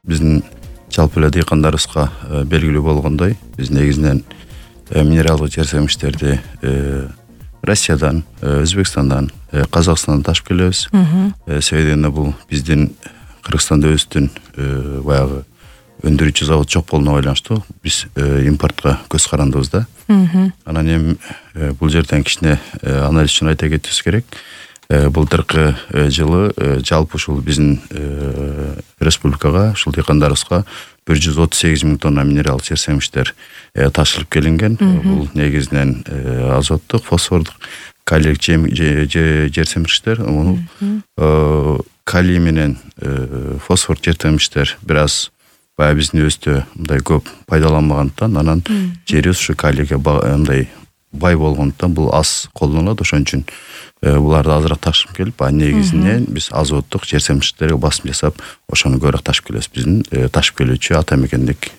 биздин жалпы эле дыйкандарыбызга белгилүү болгондой, биз негизинен минералдык жер семиштерди Россиядан, Өзбекстандан, Казакстандан ташып келебиз. Себеби бул биздин Кыргызстанда өзүбүздүн баягы өндүрүүчү завод жок болгонуна байланыштуу биз импортко көз карандыбыз да. Анан эми бул жерден кичине анализ үчүн айта кетишибиз керек. Былтыркы жылы жалпы ушул биздин республикага, ушул дыйкандарыбызга 138 миң тонна минералдык жер семиштер ташылып келинген. Бул негизинен азоттук, фосфордук, калий жер семиштер. Калий менен фосфор жер семиштер бир аз баягы биздин өзүдө мындай көп пайдаланбагандыктан, анан жерибиз ушу калийге мындай бай болгондуктан бул аз колдонулат. Ошон үчүн буларды азыраак ташып келип, негизинен биз азоттук жер семиштерге басым жасап, ошону көбүрөөк ташып келебиз. Биздин ташып келүүчү ата мекендик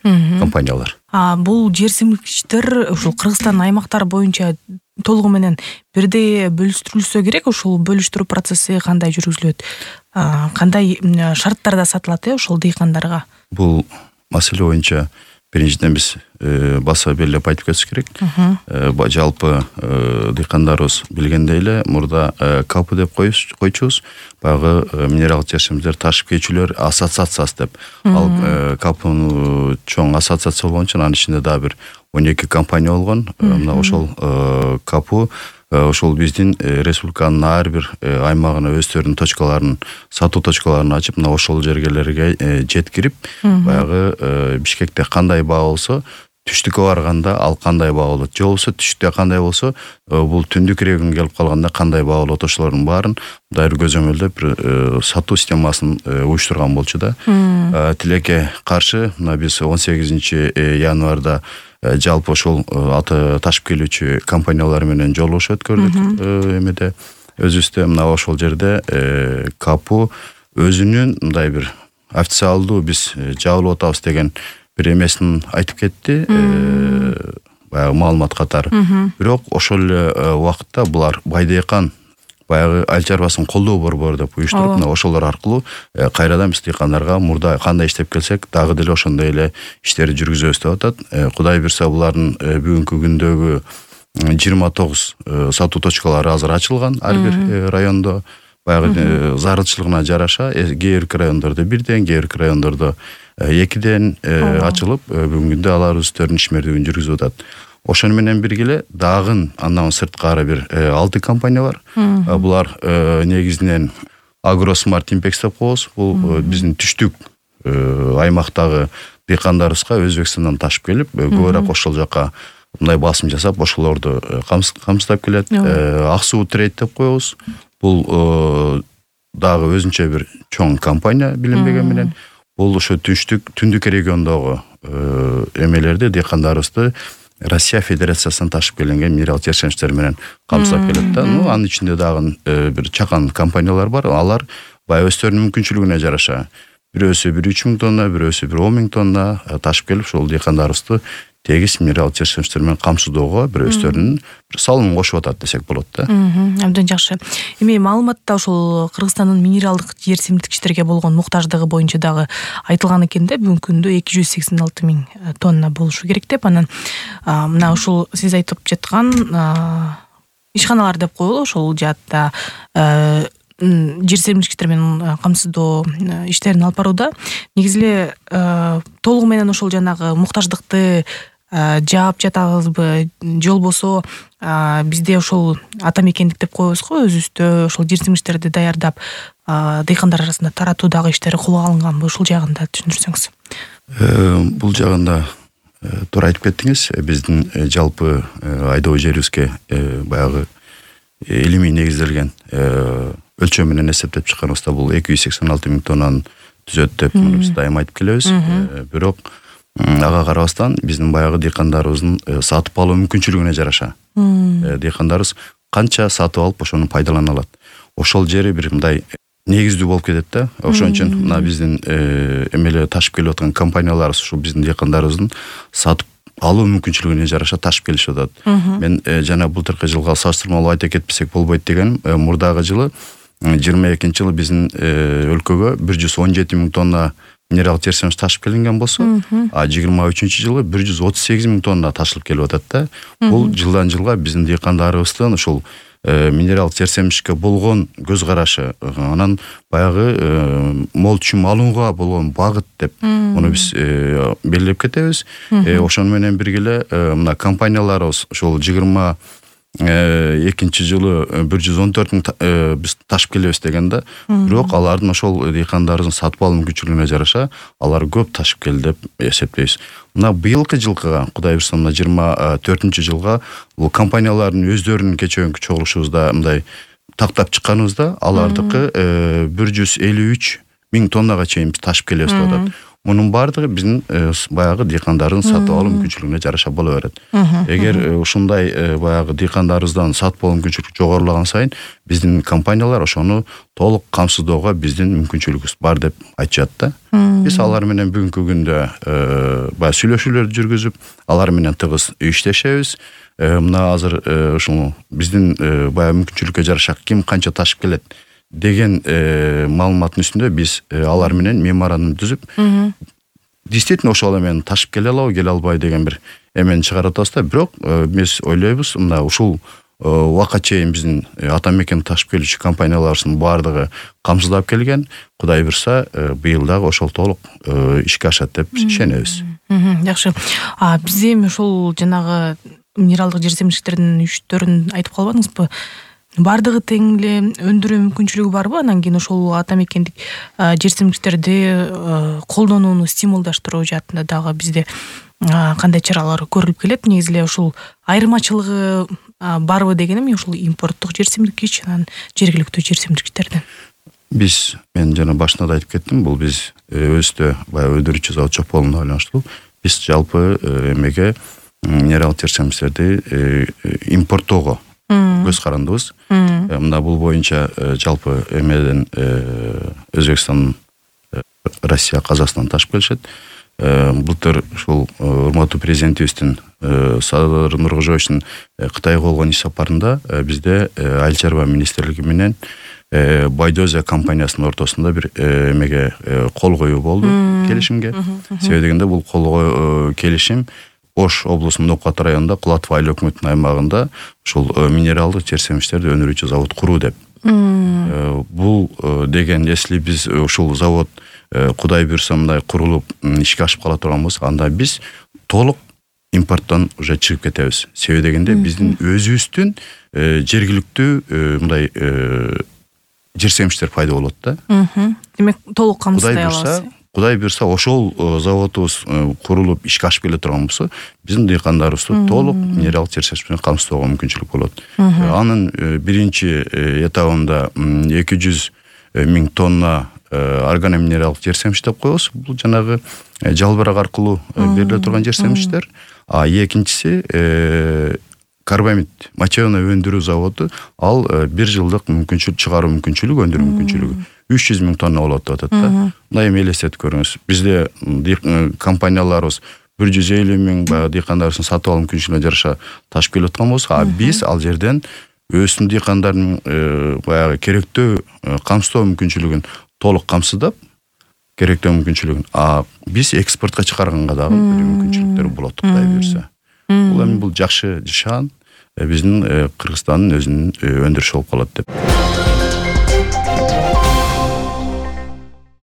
компаниялар. Бул жер семиштер ушул Кыргызстан аймактары боюнча толугу менен бирдей бөлүштүрүлсө керек. Ушул бөлүштүрүү процесси кандай жүргүзүлөт? Кандай шарттарда сатылат ошол дыйкандарга? Бул маселе боюнча биринчиден биз баса белгилеп айтып кетиш керек. Жалпы дыйкандарыбыз билгендей эле мурда КАП деп койчубуз. Баягы минералдык жер семиштер ташып кетүүчүлөр ассоциациясы деп. Ал КАПнын чоң ассоциация болгон үчүн анын ичинде дагы бир 12 компания болгон. Мына ошол КАП ошол биздин республиканын ар бир аймагына өздөрүнүн точкаларын, сатуу точкаларын ачып, мына ошол жергелерге жеткирип, баягы Бишкекте кандай баа болсо, түштүккө барганда ал кандай баа болот, же болбосо түштүктө кандай болсо, бул түндүк регионго келип калганда кандай баа болот, ошолордун баарын мындай бир көзөмөлдөп бир сатуу системасын уюштурган болчу да. Тилекке каршы мына биз 18 январда жалпы ошол ташып келүүчү компаниялар менен жолугушуу өткөрдүк эмеде өзүбүздө. Мына ошол жерде КАП өзүнүн мындай бир официалдуу биз жабылып атабыз деген бир эмесин айтып кетти, баягы маалымат катары. Бирок ошол эле убакытта булар Байдыйкан баягы айыл чарбасын колдоо борбору деп уюштуруп, мына ошолор аркылуу кайрадан биз дыйкандарга мурда кандай иштеп келсек, дагы деле ошондой эле иштерди жүргүзөбүз деп атат. Кудай буйрса булардын бүгүнкү күндөгү 29 сатуу точкалары азыр ачылган ар бир райондо. Баягы зарылчылыгына жараша кээ бир райондордо бирден, кээ бир райондордо экиден ачылып, бүгүнкү күндө алар өздөрүнүн ишмердүүлүгүн жүргүзүп атат. Ошону менен биргеле дагы андан сырткары бир 6 компания бар. Булар негизинен Агросмарт Импекс деп коебуз. Бул биздин түштүк аймактагы дыйкандарыбызга Өзбекстандан ташып келип, көбүрөөк ошол жака мындай басым жасап, ошолорду камсыздап келет. Ак суу трейд деп коебуз. Бул дагы өзүнчө бир чоң компания билинбеген менен. Бул ошо түндүк региондогу эмелерди, дыйкандарыбызды Россия Федерациясынан ташып келинген минерал жер семиштер менен камсыздап келет да. Анын ичинде дагы бир чакан компаниялар бар. Алар баягы өздөрүнүн мүмкүнчүлүгүнө жараша бирөөсү 3 миң тонна, бирөөсү 10 миң тонна ташып келип, ошол дыйкандарыбызды тегиз минерал жер семиштер менен камсыздоого бир өздөрүнүн бир салымын кошуп атат десек болот да. Абдан жакшы. Эми маалыматта ошол Кыргызстандын минералдык жер семиштиктерге болгон муктаждыгы боюнча дагы айтылган экен да, бүгүнкү күндө 286 миң тонна болушу керек деп. Анан мына ушул сиз айтып жаткан ишканалар деп коелу, ошол жаатта жер семиштиктер менен камсыздоо иштерин алып барууда. Негизи эле толугу менен ошол жанагы муктаждыкты жаап жатабызбы, же болбосо бизде ошол ата мекендик деп коебузго, өзүбүздө ошол жер семиштерди даярдап дыйкандар арасында таратуу дагы иштери колго алынганбы, ушул жагында түшүндүрсөңүз. Бул жагында туура айтып кеттиңиз. Биздин жалпы айдоо жерибизге баягы илимий негизделген өлчөм менен эсептеп чыкканыбызда бул 286 миң тоннаны түзөт деп биз дайыма айтып келебиз. Бирок ага карабастан биздин баягы дыйкандарыбыздын сатып алуу мүмкүнчүлүгүнө жараша дыйкандарыбыз канча сатып алып ошону пайдалана алат. Ошол жери бир мындай негиздүү болуп кетет да. Ошон үчүн мына биздин эмеле ташып келип аткан компанияларыбыз ушул биздин дыйкандарыбыздын сатып алуу мүмкүнчүлүгүнө жараша ташып келишип атат. Мен жана былтыркы жылга салыштырмалуу айта кетпесек болбойт дегеним, мурдагы жылы 22 жылы биздин өлкөгө 117 000 тонна минералдык жер семиш ташып келинген болсо, а 23 жылы 138 000 тонна ташылып келип атат да. Бул жылдан жылга биздин дыйкандарыбыздын ушул минералдык жер семишке болгон көз карашы, анан баягы мол түшүм алууга болгон багыт деп муну биз белгилеп кетебиз. Ошону менен бирге мына компанияларыбыз ошол 22 жылы 114 000 биз ташып келебиз дегенде, бирок алардын ошол дыйкандарыбыздын сатып алуу мүмкүнчүлүгүнө жараша алар көп ташып келди деп эсептейбиз. Мына быйылкы жылкыга, Кудай буйрса, мына 24-жылга бул компаниялардын өздөрүнүн кечээки чогулушубузда мындай тактап чыкканыбызда, алардыкы 153 000 тоннага чейин биз ташып келебиз деп атат. Мунун баардыгы биздин баягы дыйкандардын сатып алуу мүмкүнчүлүгүнө жараша боло берет. Эгер ушундай баягы дыйкандарыбыздан сатып алуу мүмкүнчүлүгү жогорулаган сайын, биздин компаниялар ошону толук камсыздоого биздин мүмкүнчүлүгүбүз бар деп айтышат да. Биз алар менен бүгүнкү күндө баягы сүйлөшүүлөрдү жүргүзүп, алар менен тыгыз иштешебиз. Мына азыр ушул биздин баягы мүмкүнчүлүккө жараша ким канча ташып келет деген маалыматтын үстүндө биз алар менен меморандум түзүп, действительно ошол эмен ташып келе алабы, келе албайбы деген бир эмени чыгарып атабыз да. Бирок биз ойлойбуз, мына ушул убакка чейин биздин ата мекен ташып келүүчү компанияларыбыздын баардыгы камсыздап келген. Кудай буйрса, быйыл дагы ошол толук ишке ашат деп ишенебиз. Жакшы. Биз эми ошол жанагы минералдык жер семиштердин 3-төрүн айтып калбадыңызбы? Бардыгы тең эле өндүрүү мүмкүнчүлүгү барбы? Анан кийин ошол ата мекендик жер семиштерди колдонууну стимулдаштыруу жаатында дагы бизде кандай чаралар көрүлүп келет? Негизи эле ушул айырмачылыгы барбы дегеним, ушул импорттук жер семирткич анан жергиликтүү жер семирткичтердин. Мен жана башында да айтып кеттим, бул биз өзүбүздө баягы өндүрүүчү завод жок болгондо байланыштуу. Биз жалпы эмеге минералдык жер семиштерди импорттоого көз карандыбыз. Мына бул боюнча жалпы эмеден Өзбекстан, Россия, Казакстан ташып келишет. Былтыр ушул урматтуу президентибиздин Садыр Нуркожоевичтин Кытайга болгон иш сапарында бизде Айыл чарба министрлиги менен Байдозия компаниясынын ортосунда бир эмеге кол коюу болду, келишимге. Себеби дегенде бул кол келишим Ош облусунун Нокат районунда Кулатов айыл өкмөтүнүн аймагында ушул минералдык жер семиштерди өндүрүүчү завод куруу деп. Бул деген, если биз ушул завод Кудай буйрса мындай курулуп ишке ашып кала турган болсо, анда биз толук импорттон уже чыгып кетебиз. Себеби дегенде биздин өзүбүздүн жергиликтүү мындай жер семиштер пайда болот да. Демек толук камсыздай алабыз. Кудай буйрса ошол заводубуз курулуп ишке ашып келе турган болсо, биздин дыйкандарыбызды толук минералдык жер семиш менен камсыздоого мүмкүнчүлүк болот. Анын биринчи этабында 200 000 тонна органоминералдык жер семиш деп коебуз. Бул жанагы жалбырак аркылуу бериле турган жер семиштер. А экинчиси карбамид мочевина өндүрүү заводу, ал 1 жылдык мүмкүнчүлүк чыгаруу мүмкүнчүлүгү, өндүрүү мүмкүнчүлүгү 300 000 тонна болот деп атат да. Мындай эми элестетип көрүңүз. Бизде компанияларыбыз 150 000 баягы дыйкандарыбыздын сатып алуу мүмкүнчүлүгүнө жараша ташып келип аткан болсо, биз ал жерден өзүнүн дыйкандардын баягы керектөө камсыздоо мүмкүнчүлүгүн толук камсыздап, керектөө мүмкүнчүлүгүн, биз экспортко чыгарганга дагы мүмкүнчүлүктөр болот, Кудай буйрса. Бул эми бул жакшы шан биздин Кыргызстандын өзүнүн өндүрүшү болуп калат деп.